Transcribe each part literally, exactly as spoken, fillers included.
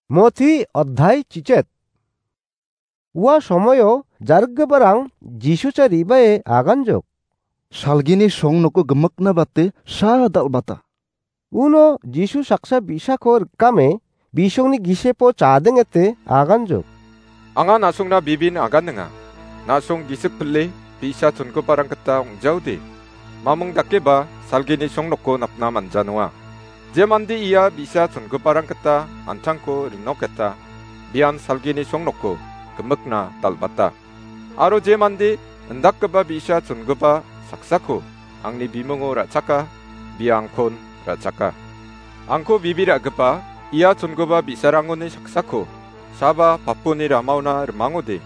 Moti oddhai chichet. Ua somoio jarikgiparang Jisucha ribae aganjok. Salgini song noko gimikna bate sa dal·bata. Uno Jisu saksa bi·sako rikame bisongni gisepo chadengete aganjok. Anga na·songna bibin aganinga. Na·song gisik pile bi·sa chongiparang gita ong·jaode. Mamung dakeba salgini song noko napna manja noa. Je mande ia bi·sa chongiparang gita an·tangko rinoketa, bian salgini song noko gimikna dal·bata. Aro je mande indakgipa bi·sa chongipa saksako angni bimungo ra·chaka, bia angkon ra·chaka. Angko bibi ra·gipa ia chongipa bi·sarangoni saksako saba paponi ramaona rimangode,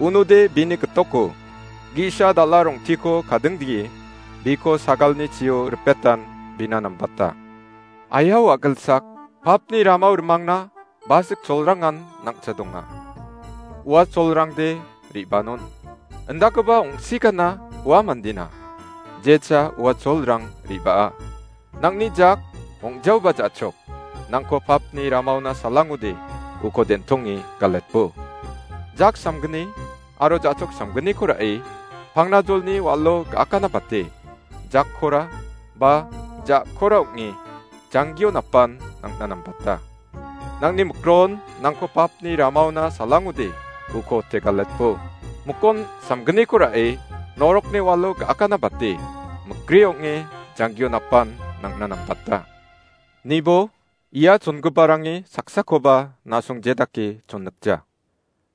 unode bini gitoko, gi·sa dal·a rong·tiko kadingdie, biko sagalni chio ripetan bina nambata. Aiao a·gilsak, papni ramao rimangna basik cholrangan nang·cha donga. Ua cholrangde re·banon. Indakgipa ong·sikana ua mandena. Jecha ua cholrang re·baa. Nang·ni jak ong·jaoba ja·chok. Nangko papni ramaona salangode uko den·tonge galetbo. Jak samgni aro ja·chok samgniko ra·e, pangnajolni walo ga·akana bate, jakkora ba ja·kora ong·e, janggio napan nang·na nambata. Nangni mikron nangko papni ramaona salangode uko tegaletbo. Mikon samgniko ra·e, norokni walo ga·akana bate, mikri ong·e, janggio napan nang·na nambata. Nibo, ia chongiparangni saksakoba na·song jedake chonnikja.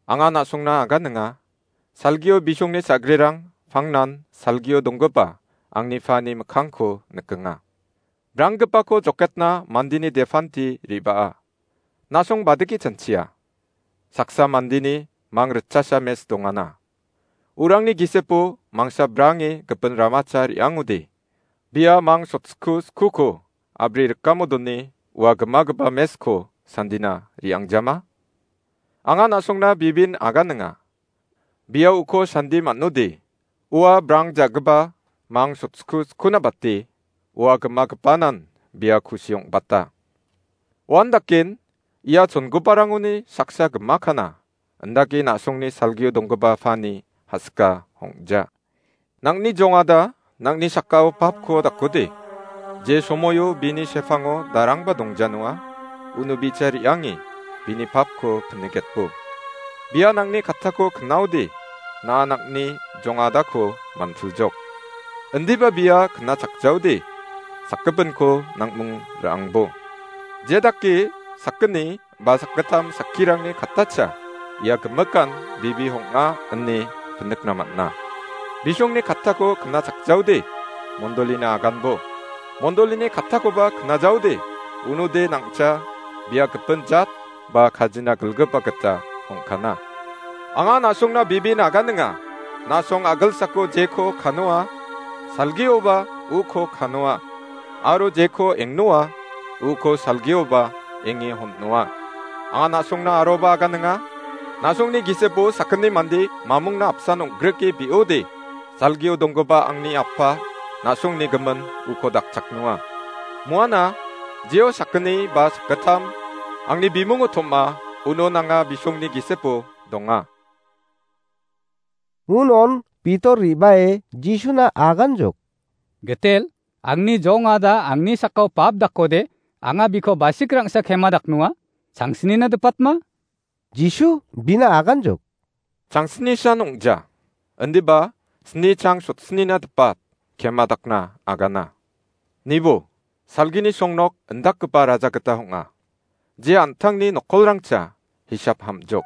Anga na·songna aganinga, salgio bisongni sa·grerang pangnan salgio donggipa angni pani mikkangko nikenga. Branggipako joketna mandeni depanti re·baa. Na·song badike chanchia. Saksa mandeni mang ritchasa mes dongana. Urangni gisepo mangsa brange gipin ramacha re·angode. Bia mang sotsku skuko abri rikamo done ua gimagipa mesko sandina re·angjama? Anga na·songna bibin aganinga. Bia uko sandi man·ode, ua brang ja·gipa mang sotsku skuna bate, ua gimagipanan bia kusi ong·bata. Uandaken ia chongiparangoni saksa gimakana, indake na·songni salgio donggipa pani hasika ong·ja. Nang·ni jongada, nang·ni sakao papko dakode. Je somoio bini sepango darangba dongjanoa, uno bicha re·ange bini papko pinigetbo. Bia nang·ni kattako knaode, na nang·ni jongadako mantiljok. Indiba bia knachakjaode, sakgipinko nang·mung ra·angbo. Jedake sakgni ba sakgittam sakkirangni kattacha ia gimikan bibi ong·a ine pinikna man·a. Bisongni kattako knachakjaode, mondolina aganbo. Mondolini kattakoba knajaode, unode nang·cha bia gipin jat ba kajina gilgipa gita ong·kana. Anga na·songna bibin aganinga, na·song a·gilsako jeko kanoa, salgioba uko kanoa, aro jeko engnoa, uko salgioba enge hon·noa. Anga na·songna aroba aganinga, na·songni gisepo sakgni mande mamungna apsan ong·grike be·ode, salgio donggipa angni Apa, na·songni gimin uko dakchaknoa. Moana, jeo sakgni ba sakgittam, angni bimungo tom·a, uno nanga bisongni gisepo donga. Unon Pitor ribae Jisuna aganjok. Gitel, angni jongada angni sakao pap dakode, anga biko basik rangsa kema daknoa, changsnina dipatma? Jisu bina aganjok. Changsnisan ong·ja, indiba sni chang sotsnina dipat kema dakna agana. Nibo, salgini songnok indakgipa raja gita ong·a. Je an·tangni nokkolrangcha hisap ham·jok.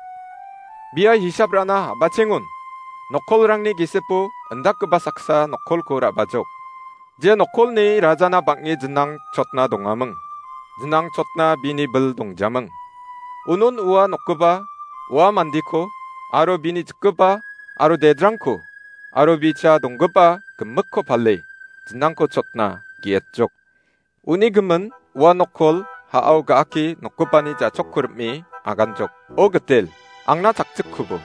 Bia hisap ra·na a·bachengon, nokkolrangni gisepo indakgipa saksa nokkolko ra·bajok. Je nokkolni rajana bang·e jinang chotna dongaming. Jinang chotna bini bil dongjaming. Unon ua nokgipa, ua mandiko, aro bini jikgipa, aro dedrangko, aro bicha donggipa gimikko pale, jinangko chotna ge·etjok. Uni gimin ua nokkol ha·ao ga·ake nokgipani ja·chokko rim·e aganjok. O Gitel, angna chakchikkubo,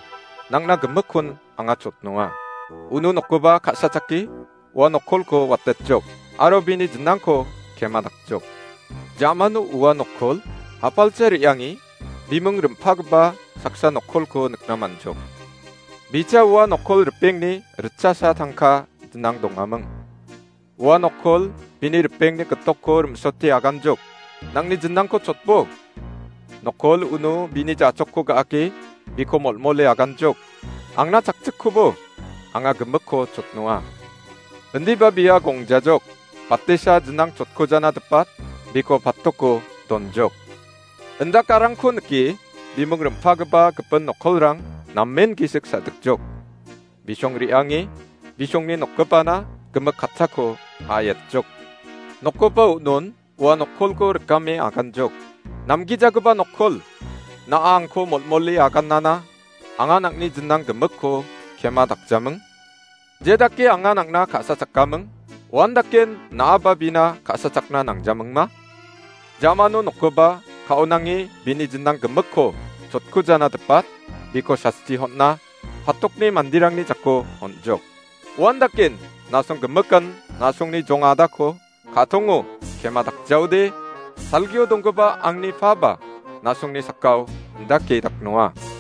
nangna gimikkon anga chotnoa. Uno nokgipa ka·sachake ua nokkolko watetjok, aro bini jinangko kema dakjok. Ja·mano ua nokkol hapalcha re·ange bimung rim·pagipa saksa nokkolko nikna man·jok. Bicha ua nokkol ripengni ritchasa tangka dinang dongaming. Ua nokkol bini ripengni gitokko rim·sote aganjok. Nangni jinangko chotbo. Nokkol uno bini jachokko ga·ake biko molmole aganjok. Angna chakchikkobo anga gimikko chotnoa. Indiba bia gongjajok. Patesa jinang chotkojana dipat biko patoko donjok. Indakarangko nike bimung rim·pagipa gipin nokkolrang namen gisik sa·dikjok. Bisong re·ange bisongni nokgipana gimik kattako a·etjok. Nokgipa un·on ua nokkolko rikame aganjok. Namgijagipa nokkol, na·a angko molmole agannana, anga nang·ni jinang gimikko kema dakjaming. Je dake anga nang·na ka·sachakkaming, uandaken na·aba bina ka·sachakna nangjamingma? Jamano nokgipa ka·onange bini jinang gimikko chotkujana dipat, biko sasti hon·a, patokni manderangni jako on·jok. Uandaken nasong gimikan nasongni jong adako ka·tongo kema dakjaode, salgio donggipa angni paba nasongni sakao indake daknoa.